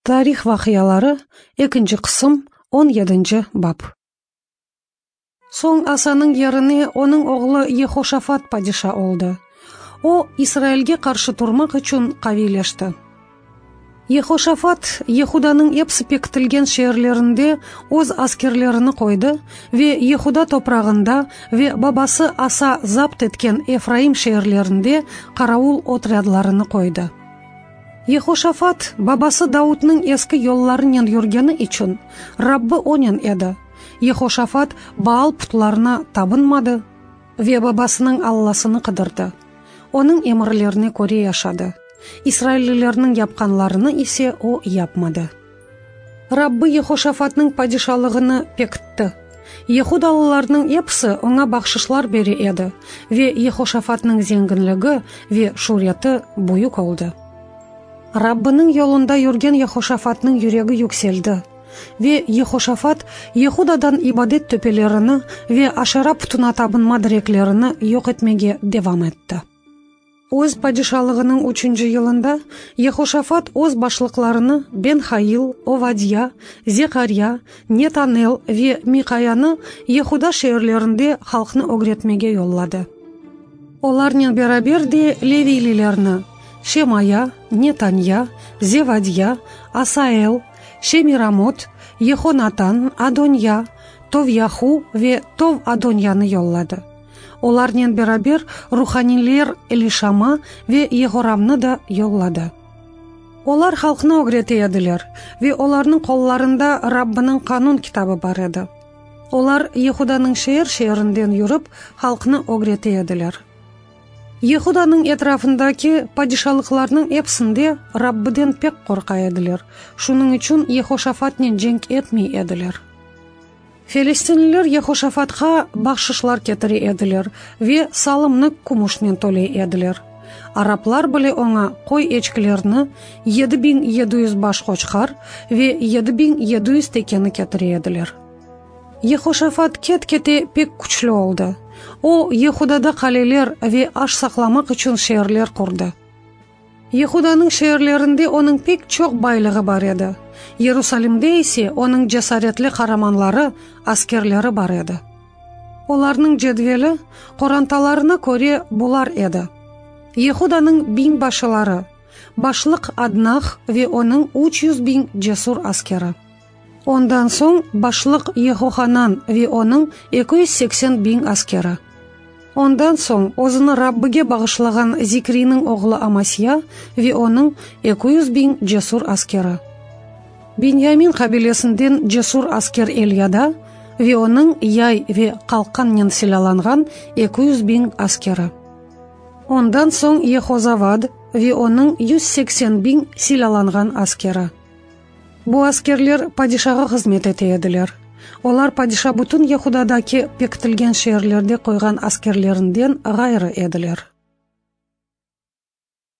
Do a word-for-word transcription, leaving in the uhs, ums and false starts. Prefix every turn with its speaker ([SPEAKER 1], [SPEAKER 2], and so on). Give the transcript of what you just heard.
[SPEAKER 1] Tarih vaqiaları, ekinci qısım, on yedinci bap. Soñ Asanıñ yerine onıñ oğlu Yehoşafat padişa oldı. O, İsrailge qarşı turmaq içün qaviyleşti. Yehoşafat Yehudanıñ episi pekitilgen şeerlerinde öz askerlerini qoydı ve Yehuda toprağında ve babası Asa zapt etken Efraim şeerlerinde qaravul otrâdlarını qoydı. Yehoşafat babası Davudnıñ eski yollarınen yürgeni içün Rabbi onen edi. Yehoşafat Baal putlarına tabınmadı ve babasınıñ Allasını qıdırdı. Onıñ emirlerine köre yaşadı. İsraillilerniñ yapqanlarını ise o yapmadı. Rabbi Yehoşafatnıñ padişalığını pekitti. Yehudalılarnıñ episi oña bahşışlar bere edi ve Yehoşafatnıñ zenginligi ve şüreti büyük oldı. Rabbiniñ yolunda yürgen Yehoşafatnıñ yüregi yükseldi ve Yehoşafat Yehudadan ibadet töpelerini ve Aşera putuna tabınma direklerini yoq etmege devam etti. Öz padişalığınıñ üçünci yılında Yehoşafat öz başlıqlarını Ben-Hail, Ovadya, Zekarya, Netanel ve Miqayanı Yehuda şeerlerinde halqnı ögretmege yolladı. Olarnen beraber de Leviylilerni Şemaya, Netanya, Zevadya, Asael, Şemiramot, Yehonatan, Adonya, Tovyahu ve Tov-Adonyanı yolladı. Olarnen beraber ruhaniyler Elişama ve Yehoramnı da yolladı. Olar halqnı ögrete ediler ve olarnıñ qollarında Rabbiniñ qanun kitabı bar edi. Olar Yehudanıñ şeer şeerinden yürip halqnı ögrete ediler. Yehudanıñ etrafındaki padişalıqlarnıñ episinde Rabbiden pek qorqa ediler. Şunıñ içün Yehoşafatnen cenk etmey ediler. Filistinliler Yehoşafatqa bahşışlar ketire ediler ve salımnı kümüşnen töley ediler. Araplar bile oña qoy eçkilerini yedi biñ yedi yüz baş qoçqar ve yedi biñ yedi yüz tekeni ketire ediler. Yehoşafat ket-kete pek küçlü oldı. O, Yehudada qaleler ve aş saqlamaq içün şeerler qurdı. Yehudanıñ şeerlerinde onıñ pek çoq baylığı bar edi. Yerusalimde ise onıñ cesaretli qaramanları, askerleri bar edi. Olarnıñ cedveli qorantalarına köre bular edi. Yehudanıñ biñbaşıları, başlıq Adnah ve onıñ üç yüz biñ cesur askeri. Ondan soñ başlıq Yehohanan ve onıñ eki yüz seksen biñ askeri. Ondan soñ özüni Rabbige bağışlağan Zikriniñ oğlu Amasya ve onıñ eki yüz biñ cesur askeri. Binyamin qabilesinden cesur asker Elyada ve onıñ yay ve qalqannen silâlanğan eki yüz biñ askeri. Ondan soñ Yehozavad ve onıñ yüz seksen biñ silâlanğan askeri. Bu askerler padişağa hızmet ete ediler. Olar padişa bütün Yehudadaki pekitilgen şeerlerde qoyğan askerlerinden ğayrı ediler.